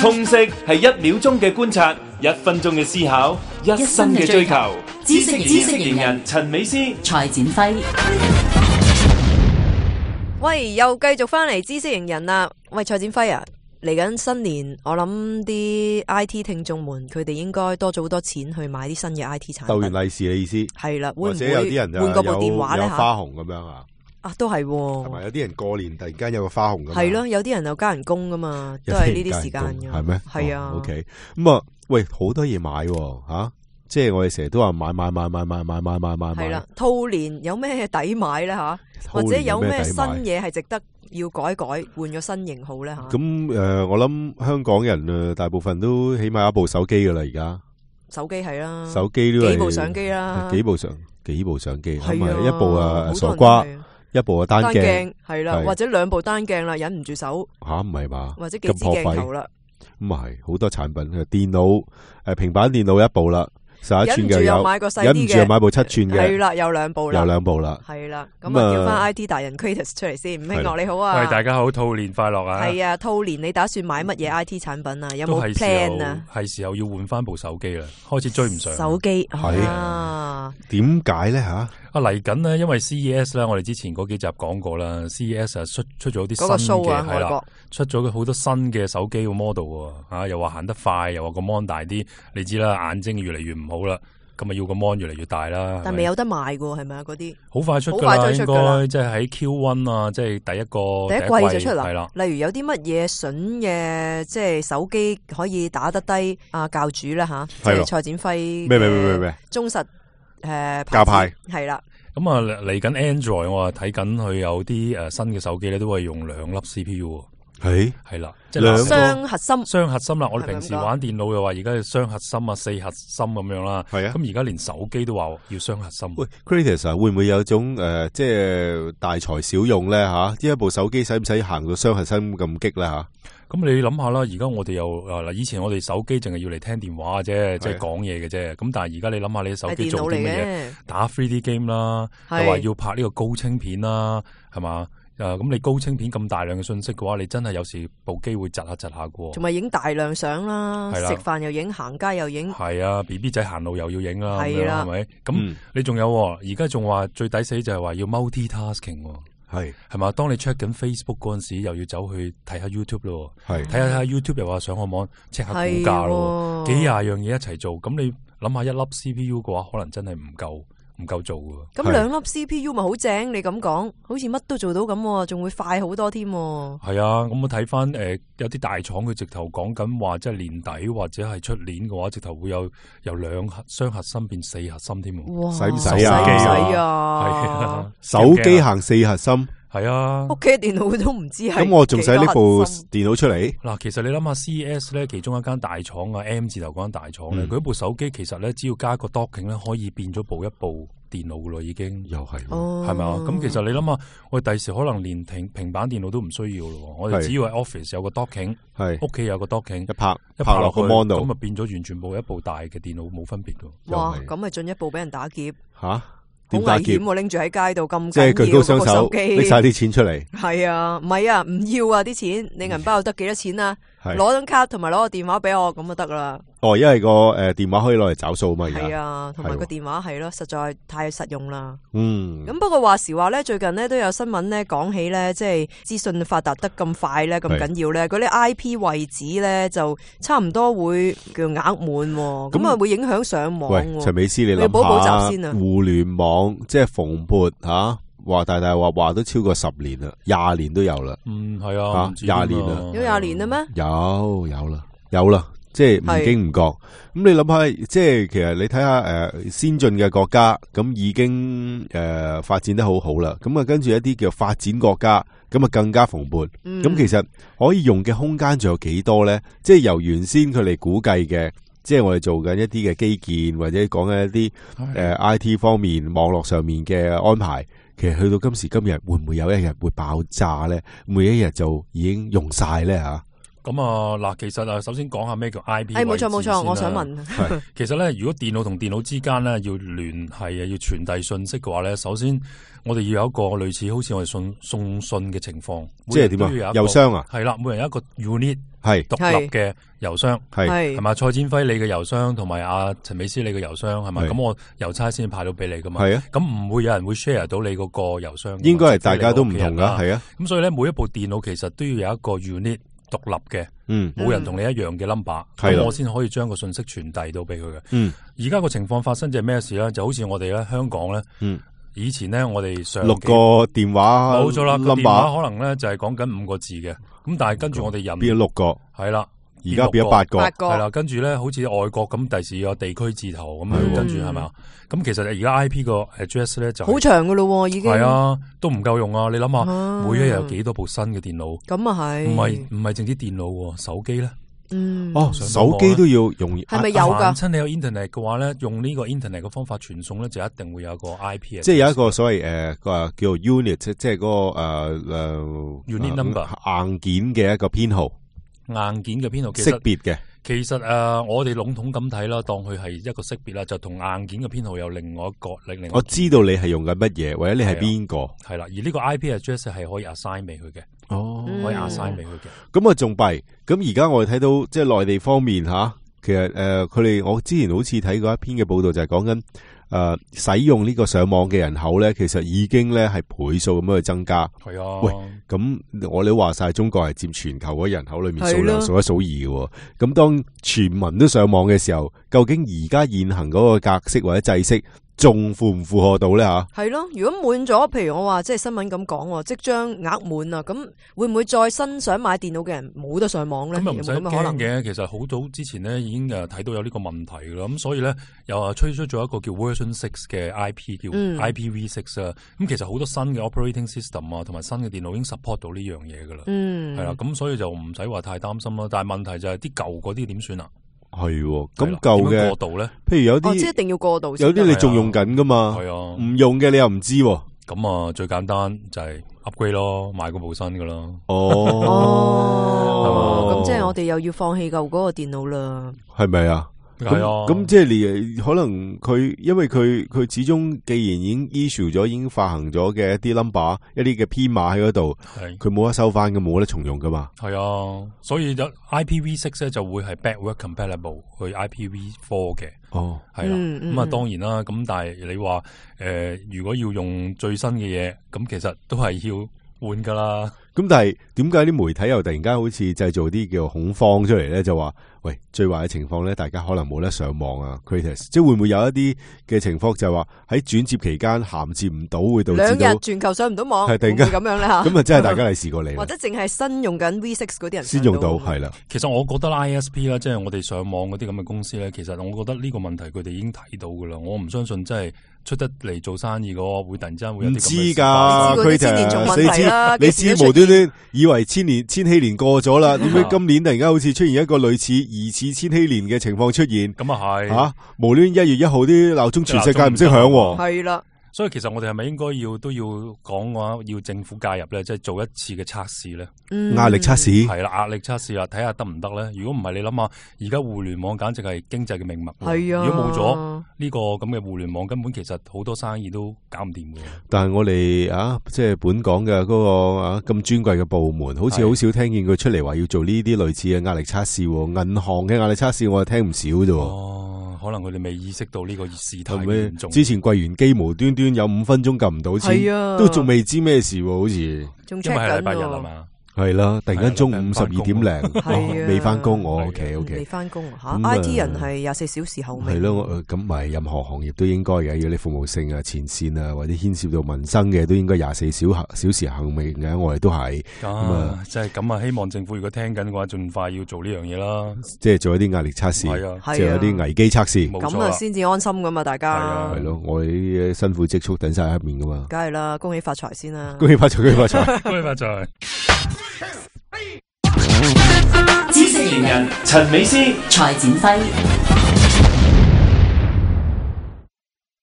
通識係1秒鐘嘅觀察，1分鐘嘅思考，1生嘅追求。知識型人陳美詩、蔡展輝。喂，又繼續翻嚟知識型人啦。喂，蔡展輝啊，嚟緊新年，我諗啲 IT 聽眾們佢哋應該多咗好多錢去買啲新嘅 IT 產品。逗完利是嘅意思係啦，會唔或者有啲人會換嗰部電話咧有花紅咁樣啊？啊，都係喎。同埋有啲人過年突然間有個花紅咁。係咯，有啲人又加人工噶嘛，都係呢啲時間嘅。係咩？係啊。OK， 咁啊，喂，好多嘢買吓，即係我哋成日都話買。係啦，兔年有咩抵買咧吓？或者有咩新嘢係值得要改換個新型號咧吓？咁我諗香港人大部分都起碼有一部手機噶啦，而家手機係啦，手機都係幾部相機啦，幾部相機，係咪啊，一部傻瓜，一部單鏡係啦，或者2部單鏡啦，忍唔住手吓，唔係嘛？或者幾支鏡頭啦，咁啊係好多產品，電腦平板電腦一部啦。11寸嘅有，忍唔住又買部7寸嘅，係啦，有2部啦，係啦，咁啊叫翻 IT 達人 Kratos 出嚟先，吳興樂你好啊，喂，大家好，兔年快樂啊！係啊，兔年你打算買乜嘢 IT 產品啊？有冇 plan 啊？係時候要換翻部手機啦，開始追唔上。手機係啊？點解咧吓？嚟緊呢，因為 CES 啦，我哋之前嗰幾集講過啦 ，CES 啊出咗啲新嘅係啦，出咗好多新嘅手機個 model 啊，又話行得快，又話個 mon 大啲，你知啦，眼睛越嚟越唔好啦，咁啊要個 mon 越嚟越大啦。但未有得賣噶，係咪啊？嗰啲好快出噶啦，應該即係喺 Q1 啊，即係第一季就出啦。係啦，例如有啲乜嘢筍嘅，即係手機可以打得低啊教主啦吓，即係蔡展輝咩忠實教派係啦。咁啊嚟緊 Android 我睇緊佢有啲新嘅手機咧，都係用2粒 CPU。係啦，即係雙核心啦。我哋平時玩電腦又話而家係雙核心啊、4核心咁樣啦。係啊，咁而家連手機都話要雙核心。喂 ，Kratos 啊，會唔會有種即係大材小用咧吓？一部手機使唔使行到雙核心咁激咧吓？咁你諗下啦，而家我哋又嗱，以前我哋手機淨係要嚟聽電話嘅啫，即係講嘢嘅啫。咁但係而家你諗下，你手機做啲乜嘢？打 3D game 啦，又話要拍呢個高清片啦，係嘛？咁你高清片咁大量嘅信息嘅話，你真係有時部機會窒下嘅。同埋影大量相啦，食飯又影，行街又影。係啊 ，BB 仔行路又要影啦，係啦，係咪？咁你仲有而家仲話最抵死就係話要 multi-tasking。係嘛？當你 check 緊 Facebook 嗰陣時，又要走去睇下 YouTube 咯。睇下 YouTube 又話上個網 check 下股價咯，幾廿樣嘢一齊做。咁你諗下，一粒 CPU 嘅話，可能真係唔夠做㗎。咁2粒 CPU 咪好正？你咁講，好似乜都做到咁，仲會快好多添。係啊，咁我睇翻有啲大廠佢直頭講緊話，即係年底或者係出年嘅話，直頭會由雙核心變4核心添。哇！使唔使啊？係啊，手機行4核心。係啊，屋企嘅電腦都唔知係。咁我仲使呢部電腦出嚟？嗱，其實你諗下 CES 咧，其中一間大廠啊 M 字頭嗰間大廠咧，佢一部手機其實咧，只要加個 docking 咧，可以變咗一部電腦噶咯，已經又係，係咪啊？咁其實你諗下，我哋第時可能連平板電腦都唔需要咯，我哋只要係 office 有個 docking， 屋企有個 docking， 一拍落個 mon 度，咁啊變咗完全一部大嘅電腦冇分別噶。哇，咁咪進一步俾人打劫吓？好危險喎！拎住喺街度咁，即係舉高雙手，拎晒啲錢出嚟。係啊，唔係啊，唔要啊啲錢，你銀包得幾多錢啊？攞張卡同埋攞個電話俾我，咁就得啦。哦，因為個電話可以攞嚟找數嘛。係啊，同埋個電話係咯，實在太實用啦。咁不過話時話咧，最近咧都有新聞咧講起咧，即係資訊發達得咁快咧，咁緊要咧，嗰啲 IP 位置咧就差唔多會叫額滿，咁啊會影響上網。喂，陳美詩，你諗下先啊，互聯網即係蓬勃吓。話大話都超過10年啦，20年都有啦。係啊，20年啦，有20年啦咩？有啦，即係唔經唔覺。咁你諗下，即係其實你睇下先進嘅國家，咁已經發展得好好啦。咁啊，跟住一啲叫發展國家，咁啊更加蓬勃。咁其實可以用嘅空間仲有幾多咧？即係由原先佢哋估計嘅，即係我哋做緊一啲嘅基建，或者講緊一啲IT 方面網絡上面嘅安排。其實去到今時今日，會唔會有一日會爆炸咧？每一日就已經用晒咧吓？咁啊嗱，其實首先講下咩叫 IP 位置。冇錯，我想問。其實咧，如果電腦同電腦之間咧要聯繫要傳遞信息嘅話咧，首先我哋要有一個類似好似我哋送信嘅情況。即係點啊？郵箱啊？係啦，每人有一個 unit 係獨立嘅郵箱，係嘛？蔡展輝你嘅郵箱同埋阿陳美斯你嘅郵箱係咪？咁我郵差先派到俾你噶嘛？係啊。咁唔會有人會 share 到你嗰個郵箱。應該係大家都唔同噶，係啊。咁所以咧，每一部電腦其實都要有一個 unit。獨立嘅，冇人同你一樣嘅 number，咁我先可以將個信息傳遞到俾佢嘅。而家個情況發生就係咩事咧？就好似我哋咧香港咧，以前咧我哋上6個電話，冇錯啦，個電話可能咧就係講緊5個字嘅，咁但係跟住我哋人變咗6個，係啦。而家變咗8個，係啦，跟住咧，好似外國咁，第時有地區字頭咁樣，跟住係咪？咁其實而家 IP 個 address 咧就好長噶咯，已經係啊，都唔夠用啊！你諗下，每一日有幾多部新嘅電腦？咁啊係，唔係淨啲電腦，手機咧，手機都要用，係咪有噶？親你有 internet 嘅話咧，用呢個 internet 嘅方法傳送咧，就一定會有個 IP，即係有一個所謂叫做 unit，即係嗰個unit number 硬件嘅一個編號。硬件嘅編號識別嘅，其實我哋籠統咁睇啦，當佢係一個識別啦，就同硬件嘅編號有另外一個。我知道你係用緊乜嘢，或者你係邊個。係啦，而呢個 IP address 係可以 assign 俾佢嘅。可以 assign 俾佢嘅。咁啊仲弊，咁而家我哋睇到即係內地方面吓，其實佢哋我之前好似睇過一篇嘅報道，就係講緊。使用呢個上網嘅人口咧，其實已經咧係倍數咁樣去增加。係啊，喂，咁我哋都話晒，中國係佔全球嗰人口裏面數量數一數二嘅。咁當全民都上網嘅時候，究竟而家現行嗰個格式或者制式，仲符唔符合到咧吓？係咯，如果滿咗，譬如我話即係新聞咁講，即將額滿啊，咁會唔會再新想買電腦嘅人冇得上網咧？咁又唔使驚嘅，其實好早之前咧已經睇到有呢個問題噶啦，咁所以咧又推出咗一個叫 Version 6嘅 IP 叫 IPv6 啊，咁其實好多新嘅 operating system 啊，同埋新嘅電腦已經 support 到呢樣嘢噶啦，係啦，咁所以就唔使話太擔心啦。但係問題就係啲舊嗰啲點算啊？係，咁舊嘅過渡咧，譬如有啲，即係一定要過渡，有啲你仲用緊噶嘛？係啊，唔用嘅你又唔知。咁啊，最簡單就係 upgrade 咯，買嗰部新噶啦。咁即係我哋又要放棄舊嗰個電腦啦。係咪啊？係啊，咁即係你可能佢，因為佢始終既然已經 issue 咗，已經發行咗嘅一啲 number， 一啲嘅編碼喺嗰度，佢冇得收翻嘅，冇得重用噶嘛。係啊，所以IPv6 咧就會係 backward compatible 去 IPv4 嘅。係啦，咁啊當然啦，咁但係你話如果要用最新嘅嘢，咁其實都係要換噶啦。咁但係點解啲媒體又突然間好似製造啲叫恐慌出嚟咧？就話喂，最壞嘅情況咧，大家可能冇得上網啊 ，Kritis， 即係會唔會有一啲嘅情況就係話喺轉接期間銜接唔到，會導致到2日全球上唔到網，係突然間咁樣咧吓？咁啊，真係大家嚟試過你，或者淨係新用緊 V6 嗰啲人先用到，係啦。其實我覺得 ISP 啦，即係我哋上網嗰啲咁嘅公司咧，其實我覺得呢個問題佢哋已經睇到噶啦。我唔相信真係出得嚟做生意嘅會突然之間會有啲咁嘅事。唔知㗎，Kritis，你知無端端以為千禧年過咗啦，點解今年突然間好似出現一個類似疑似千禧年嘅情況出現？咁啊係吓，無端1月1號啲鬧鐘全世界唔識響，係啦。所以其實我哋係咪應該都要講嘅話，要政府介入咧，即係做一次嘅測試咧？壓力測試係啦，壓力測試啦，睇下得唔得咧？如果唔係，你諗下，而家互聯網簡直係經濟嘅命脈。係啊，如果冇咗呢個咁嘅互聯網，根本其實好多生意都搞唔掂嘅。但係我哋即係本港嘅嗰個咁尊貴嘅部門，好似好少聽見佢出嚟話要做呢啲類似嘅壓力測試。銀行嘅壓力測試我係聽唔少啫。可能佢哋未意識到呢個事態嚴重。之前櫃員機無端端有5分鐘撳唔到錢，都仲未知咩事，好似因為係禮拜日啊嘛。係啦，突然間中午12點零，未翻工，我 OK，未翻工吓 ，IT 人係24小時候命。係咯，咁咪任何行業都應該嘅，要你服務性啊、前線啊，或者牽涉到民生嘅，都應該24小時候命嘅。我哋都係即係咁啊！希望政府如果聽緊嘅話，盡快要做呢樣嘢啦。即係做一啲壓力測試，即係有啲危機測試，咁啊先至安心噶嘛，大家。係咯，我哋啲辛苦積蓄等晒喺面噶嘛。梗係啦，恭喜發財先啦！恭喜發財，恭喜發財，恭喜發財。知識型人陳美斯、蔡展輝。